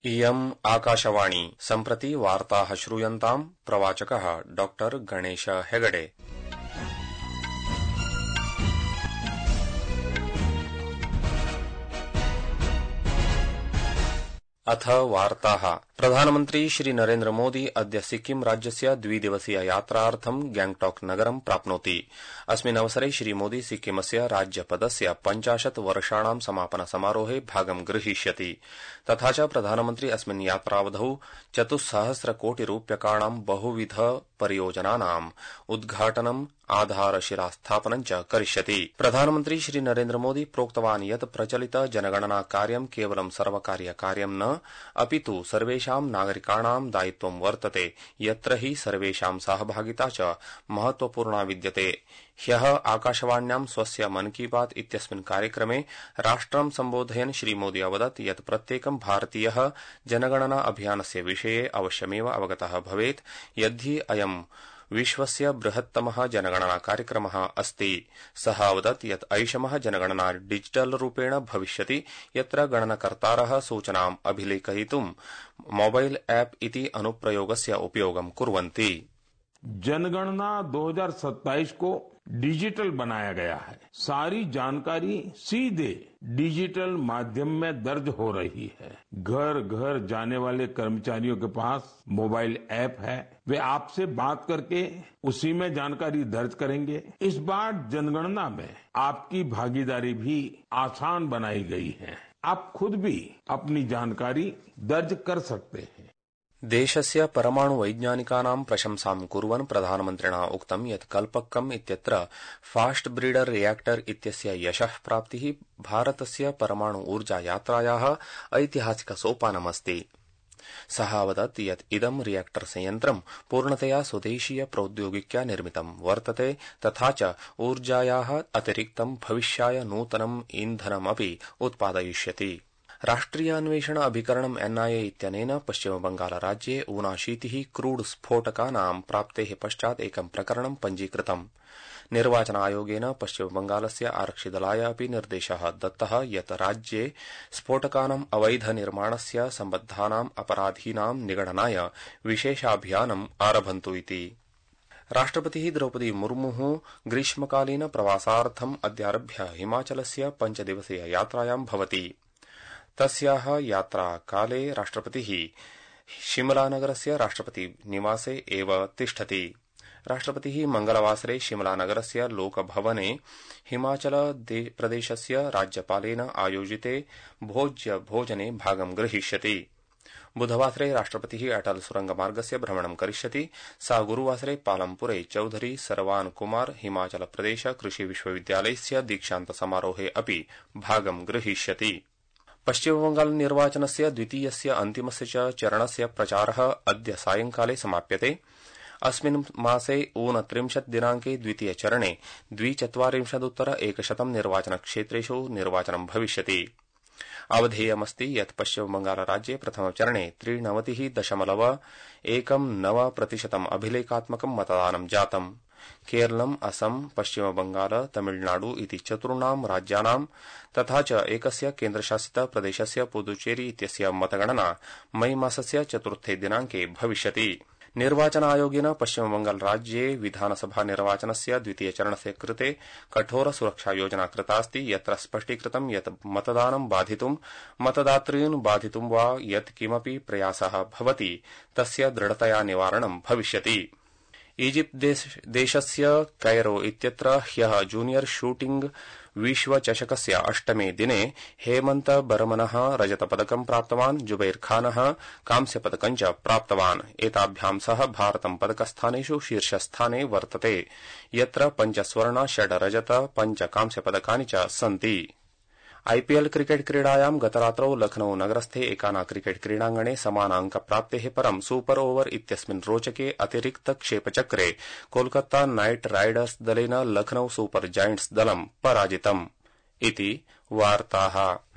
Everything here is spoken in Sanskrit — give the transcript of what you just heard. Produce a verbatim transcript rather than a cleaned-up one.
इयम् आकाशवाणी सम्प्रति वार्ताः श्रूयन्ताम् प्रवाचकः डॉक्टर गणेश हेगडे। अथ वार्ताः। प्रधानमन्त्री श्री नरेन्द्र मोदी अद्य सिक्किम राज्यस्य द्विदिवसीय यात्रार्थं गैंगटॉक नगरं प्राप्नोति। अस्मिन् अवसरे श्री मोदी सिक्किमस्य राज्यपदस्य पञ्चाशत् वर्षाणां समापन समारोहे भागं गृहीष्यति। तथा च प्रधानमन्त्री अस्मिन् यात्रावधौ चतुस्सहस्र कोटि रूप्यकाणां बहुविध परियोजनानाम् उद्घाटनम् आधारशिलास्थापनं च करिष्यति। प्रधानमन्त्री श्री नरेन्द्र मोदी प्रोक्तवान् यत् प्रचलित जनगणना कार्यं केवलं सर्वकारीय कार्यं न अपितु सर्वेषां नागरिकाणां दायित्वं वर्तते, यत्र हि सर्वेषां सहभागिता च महत्वपूर्णा विद्यते। ह्यः आकाशवाण्यां स्वस्य मन की बात इत्यस्मिन् कार्यक्रमे राष्ट्रं सम्बोधयन् श्री मोदी अवदत् यत् प्रत्येकं भारतीयः जनगणना अभियानस्य विषये अवश्यमेव अवगतः भवेत्, यद्धि अयं विश्वस्य बृहत्तमः जनगणना कार्यक्रमः अस्ति। सः अवदत् यत् ऐषमः जनगणना डिजिटल रूपेण भविष्यति, यत्र गणनकर्तारः सूचनाम् अभिलेखयितुं मोबाइल ऐप इति अनुप्रयोगस्य उपयोगं कुर्वन्ति। जनगणना दो हज़ार सत्ताईस को डिजिटल बनाया गया है। सारी जानकारी सीधे डिजिटल माध्यम में दर्ज हो रही है। घर घर जाने वाले कर्मचारियों के पास मोबाइल ऐप है, वे आपसे बात करके उसी में जानकारी दर्ज करेंगे। इस बार जनगणना में आपकी भागीदारी भी आसान बनाई गई है। आप खुद भी अपनी जानकारी दर्ज कर सकते हैं। देशस्य परमाणु वैज्ञानिकानां प्रशंसां कुर्वन् प्रधानमन्त्रिणा उक्तं यत् कल्पक्कम् इत्यत्र फास्ट ब्रीडर रिएक्टर इत्यस्य यशः प्राप्तिः भारतस्य परमाणु ऊर्जा यात्रायाः ऐतिहासिक सोपानमस्ति। सः अवदत् यत् इदं रिएक्टर संयन्त्रं पूर्णतया स्वदेशीय प्रौद्योगिक्या निर्मितं वर्तते, तथा च ऊर्जायाः अतिरिक्तं भविष्याय नूतनम् ईन्धनमपि उत्पादयिष्यति। राष्ट्रिय अन्वेषण अभिकरणम् एनआईए इत्यनेन पश्चिमबंगाल राज्ये ऊनाशीतिः क्रूड स्फोटकानां प्राप्तेः पश्चात् एकं प्रकरणं पञ्जीकृतम्। निर्वाचन आयोगेन पश्चिमबंगालस्य आरक्षिदलाय अपि निर्देशः दत्तः यत् राज्ये स्फोटकानाम् अवैध निर्माणस्य सम्बद्धानाम् अपराधीनां निगडनाय विशेषाभियानम् आरभन्तु इति। राष्ट्रपतिः द्रौपदी मुर्मुः ग्रीष्मकालीन प्रवासार्थम् अद्यारभ्य हिमाचलस्य पञ्चदिवसीय यात्रायां भवति। तस्याः यात्राकाले राष्ट्रपतिः शिमलानगरस्य राष्ट्रपति निवासे एव तिष्ठति। राष्ट्रपतिः मंगलवासरे शिमलानगरस्य लोकभवने हिमाचल प्रदेशस्य राज्यपालेन आयोजिते भोज्य भोजने भागं गृहीष्यति। बुधवासरे राष्ट्रपतिः अटल सुरंगमार्गस्य भ्रमणं करिष्यति। सा गुरुवासरे पालमपुरे चौधरी सरवान कुमार हिमाचल प्रदेश कृषि विश्वविद्यालयस्य दीक्षान्त समारोहे अपि भागं गृहीष्यति। पश्चिमबंगाल निर्वाचनस्य द्वितीयस्य अन्तिमस्य च चरणस्य प्रचारः अद्य सायंकाले समाप्यते। अस्मिन् मासे ऊनत्रिंशत् दिनांके द्वितीय चरणे द्विचत्वारिंशदुत्तर एकशतं निर्वाचनक्षेत्रेषु निर्वाचनं भविष्यति। अवधेयमस्ति यत् पश्चिमबंगाल राज्ये प्रथमचरणे त्रिनवतिः दशमलव एकं नव प्रतिशतम् अभिलेखात्मकं मतदानं जातम्। केरलम्, असम, पश्चिमबंगाल, तमिलनाडु इति चतुर्णां राज्यानां तथा च एकस्य केन्द्रशासित प्रदेशस्य पुदुचेरी इत्यस्य मतगणना मई मासस्य चतुर्थे दिनांके भविष्यति। निर्वाचन आयोगेन पश्चिमबंगाल राज्ये विधानसभा निर्वाचनस्य द्वितीय चरणस्य कृते कठोर सुरक्षा योजना कृतास्ति, यत्र स्पष्टीकृतं यत् मतदानं बाधितुं, मतदातॄन् बाधितुं वा यत् किमपि प्रयासः भवति तस्य दृढतया निवारणं भविष्यति। इजिप्ट देश, देशस्य कैरो इत्यत्र ह्यः जूनियर शूटिंग विश्वचषकस्य अष्टमे दिने हेमन्त बर्मनः रजतपदकं प्राप्तवान्, जुबैर खानः कांस्यपदकं च प्राप्तवान्। एताभ्यां सह भारतं पदकस्थानेषु शीर्षस्थाने वर्तते, यत्र पञ्च स्वर्ण, षड् रजत, पञ्च कांस्यपदकानि च सन्ति। आईपीएल क्रिकेट क्रीडायां गतरात्रौ लखनऊ नगरस्थे एकाना क्रिकेट क्रीडांगणे समानांकप्राप्तेः परं सुपर ओवर इत्यस्मिन् रोचके अतिरिक्त क्षेपचक्रे कोलकाता नाइट राइडर्स दलेन लखनऊ सुपर जायंट्स दलं पराजितम् इति वार्ताः।